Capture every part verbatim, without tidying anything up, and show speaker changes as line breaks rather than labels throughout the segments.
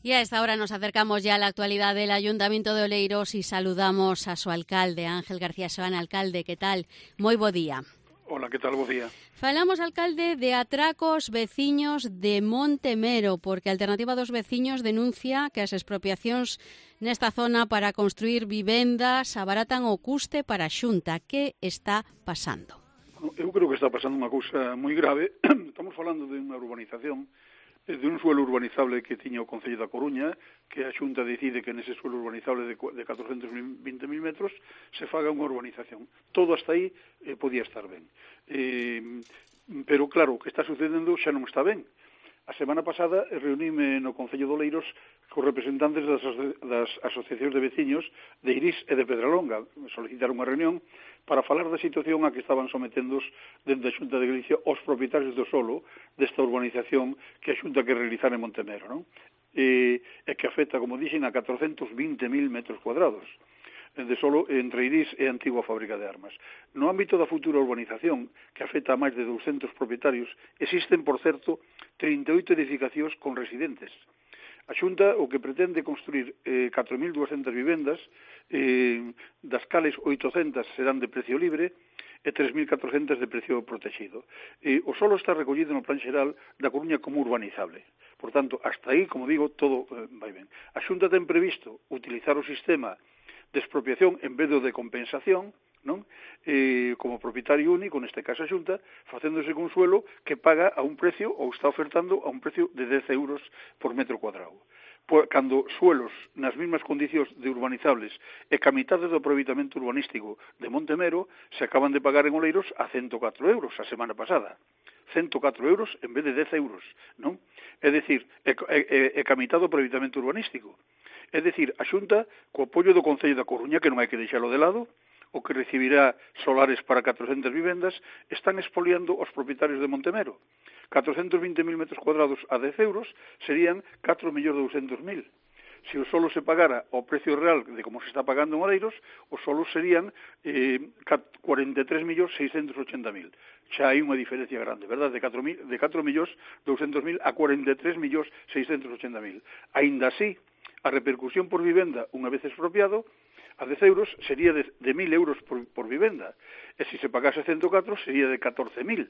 Y a esta hora nos acercamos ya a la actualidad del Ayuntamiento de Oleiros y saludamos a su alcalde, Ángel García Soana. Alcalde, que tal? Moi bo día.
Hola, que tal? Bo día.
Falamos, alcalde, de atracos veciños de Montemero, porque a Alternativa dos Veciños denuncia que as expropiacións nesta zona para construir vivendas abaratan o custe para a Xunta. Que está pasando?
Eu creo que está pasando unha cousa moi grave. Estamos falando de unha urbanización, de un suelo urbanizable que tiña o Concello da Coruña, que a Xunta decide que nese suelo urbanizable de catorcentos vinte mil metros se faga unha urbanización. Todo hasta aí eh, podía estar ben. Eh, pero claro, o que está sucedendo xa non está ben. A semana pasada reuníme no Concello de Oleiros cos representantes das, das asociacións de veciños de Irís e de Pedralonga. Solicitaron unha reunión para falar da situación a que estaban sometendos dentro da Xunta de Galicia os propietarios do solo desta urbanización que a Xunta que realizar en Montemero, non? E, e que afecta, como dixen, a catorcentos vinte mil metros cuadrados de solo entre Irís e a antigua fábrica de armas. No ámbito da futura urbanización, que afecta a máis de douscentos propietarios, existen, por certo, trinta e oito edificacións con residentes. A Xunta o que pretende construir eh, catro mil duascentas vivendas, eh, das cales oitocentas serán de precio libre e tres mil catrocentas de precio protegido. Eh, o solo está recollido no Plan Xeral da Coruña como urbanizable. Por tanto, hasta aí, como digo, todo eh, vai ben. A Xunta ten previsto utilizar o sistema de expropiación en vez do de compensación, non? Eh, como propietario único, neste caso a Xunta, facéndose con suelo que paga a un precio, ou está ofertando a un precio de dez euros por metro cuadrado. Por, cando suelos nas mesmas condicións de urbanizables e que a mitad do aproveitamento urbanístico de Montemero se acaban de pagar en Oleiros a ciento catro euros a semana pasada. ciento catro euros en vez de dez euros, non? É dicir, é, é, é que a mitad do aproveitamento urbanístico. É dicir, a Xunta, co apoio do Concello da Coruña, que non hai que deixalo de lado, o que recibirá solares para catrocentas vivendas, están expoliando os propietarios de Montemero. catrocentos vinte mil metros cuadrados a dez euros serían catro millóns douscentos mil. Se o solo se pagara ao precio real de como se está pagando en Oleiros, os solos serían eh, cuarenta e tres millóns seiscentos ochenta mil. Xa hai unha diferencia grande, verdad? De catro millóns douscentos mil a cuarenta e tres millóns seiscentos ochenta mil. Aínda así, a repercusión por vivenda, unha vez expropiado, a dez euros sería de, de mil euros por, por vivenda. E se se pagase ciento catro sería de catorce mil.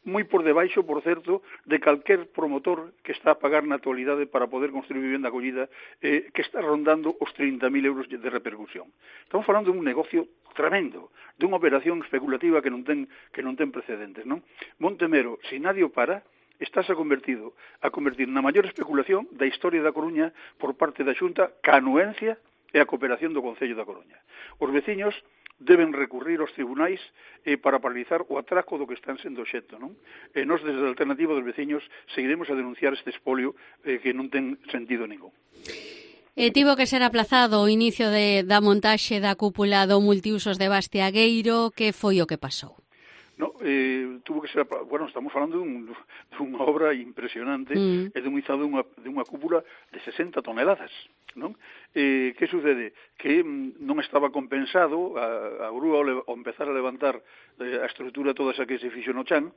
Moi por debaixo, por certo, de calquer promotor que está a pagar na actualidade para poder construir vivenda acollida, eh, que está rondando os trinta mil euros de repercusión. Estamos falando dun negocio tremendo, dunha operación especulativa que non ten, que non ten precedentes, non? Montemero, se nadie o para, estás a convertido a convertir na maior especulación da historia da Coruña por parte da Xunta, ca anuencia e a cooperación do Concello da Coruña. Os veciños deben recurrir aos tribunais eh, para paralizar o atraco do que están sendo obxecto, non? E nós, desde a Alternativa dos Veciños, seguiremos a denunciar este expolio eh, que non ten sentido ningún.
E tivo que ser aplazado o inicio de, da montaxe da cúpula do multiusos de Bastiagueiro. Que foi o que pasou?
No, eh, tuvo que ser, bueno, estamos falando dun, dunha obra impresionante mm. e dun izado dunha, dunha cúpula de sesenta toneladas, non? Eh, que sucede? Que mm, non estaba compensado a, a grúa ao empezar a levantar eh, a estrutura toda esa que se fixo no chan.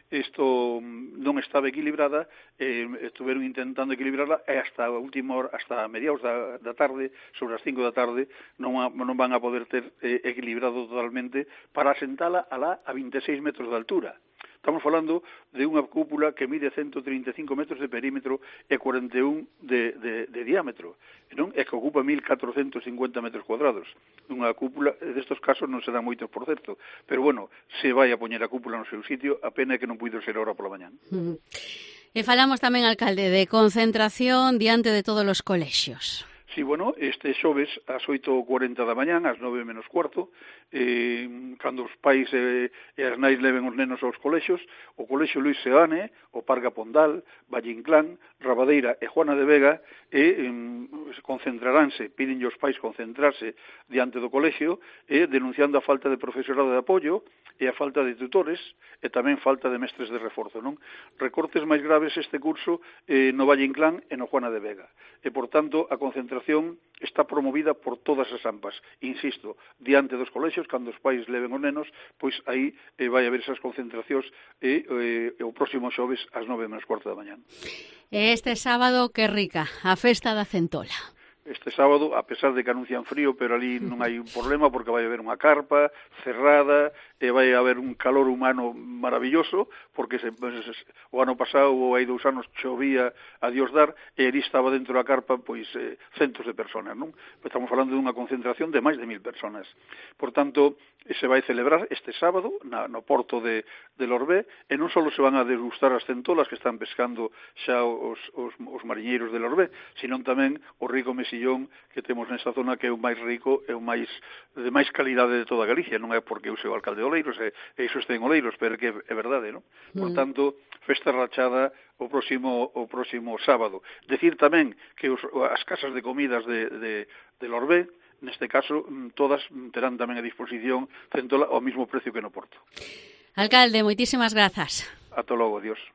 Isto non estaba equilibrada, eh, estuveron intentando equilibrarla e hasta a última hora, hasta a mediados da, da tarde, sobre as cinco da tarde, non, a, non van a poder ter eh, equilibrado totalmente para asentala alá a vinte e seis metros de altura. Estamos falando de unha cúpula que mide ciento trinta e cinco metros de perímetro e cuarenta e un de, de, de diámetro, non? E que ocupa mil catrocentos cincuenta metros cuadrados. Unha cúpula, destos casos non serán moitos, por certo, pero bueno, se vai a poñer a cúpula no seu sitio, a pena é que non puido ser ahora pola mañán.
Mm. E falamos tamén, alcalde, de concentración diante de todos os colexios.
Sí, bueno, este xoves ás oito e cuarenta da mañán, ás nove menos cuarto, eh, cando os pais e, e as nais leven os nenos aos colexios, o colexio Luis Seane, o Parga Pondal, Valle Inclán, Rabadeira e Juana de Vega, e eh, concentraránse, piden os pais concentrarse diante do colexio, e denunciando a falta de profesorado de apoio, e a falta de tutores, e tamén falta de mestres de reforzo, non? Recortes máis graves este curso eh, no Valle Inclán e no Juana de Vega. E, por tanto, a concentración concentración está promovida por todas as AMPAs. Insisto, diante dos colexios, cando os pais leven os nenos, pois aí eh, vai haber esas concentracións e eh, o próximo xoves ás nove menos cuarto da mañán.
Este sábado, que rica, a festa da centola.
Este sábado, a pesar de que anuncian frío, pero ali non hai un problema porque vai haber unha carpa cerrada e vai haber un calor humano maravilloso porque se, pues, o ano pasado ou hai dous anos chovía a Dios dar e ali estaba dentro da carpa pois eh, centos de personas, non? Estamos falando dunha concentración de máis de mil personas. Por tanto, se vai celebrar este sábado na, no porto de, de Lorbé e non só se van a degustar as centolas que están pescando xa os, os, os mariñeiros de Lorbé, sino tamén o rico mesillón que temos nesta zona que é o máis rico e o máis de máis calidade de toda Galicia. Non é porque eu sou alcalde de Oleiros e, e iso este en Oleiros, pero que é verdade, non? Por tanto, festa rachada o próximo o próximo sábado. Decir tamén que os, as casas de comidas de, de, de Lorbé, neste caso, todas terán tamén a disposición centola ao mismo precio que no Porto.
Alcalde, moitísimas grazas.
Ata logo, adiós.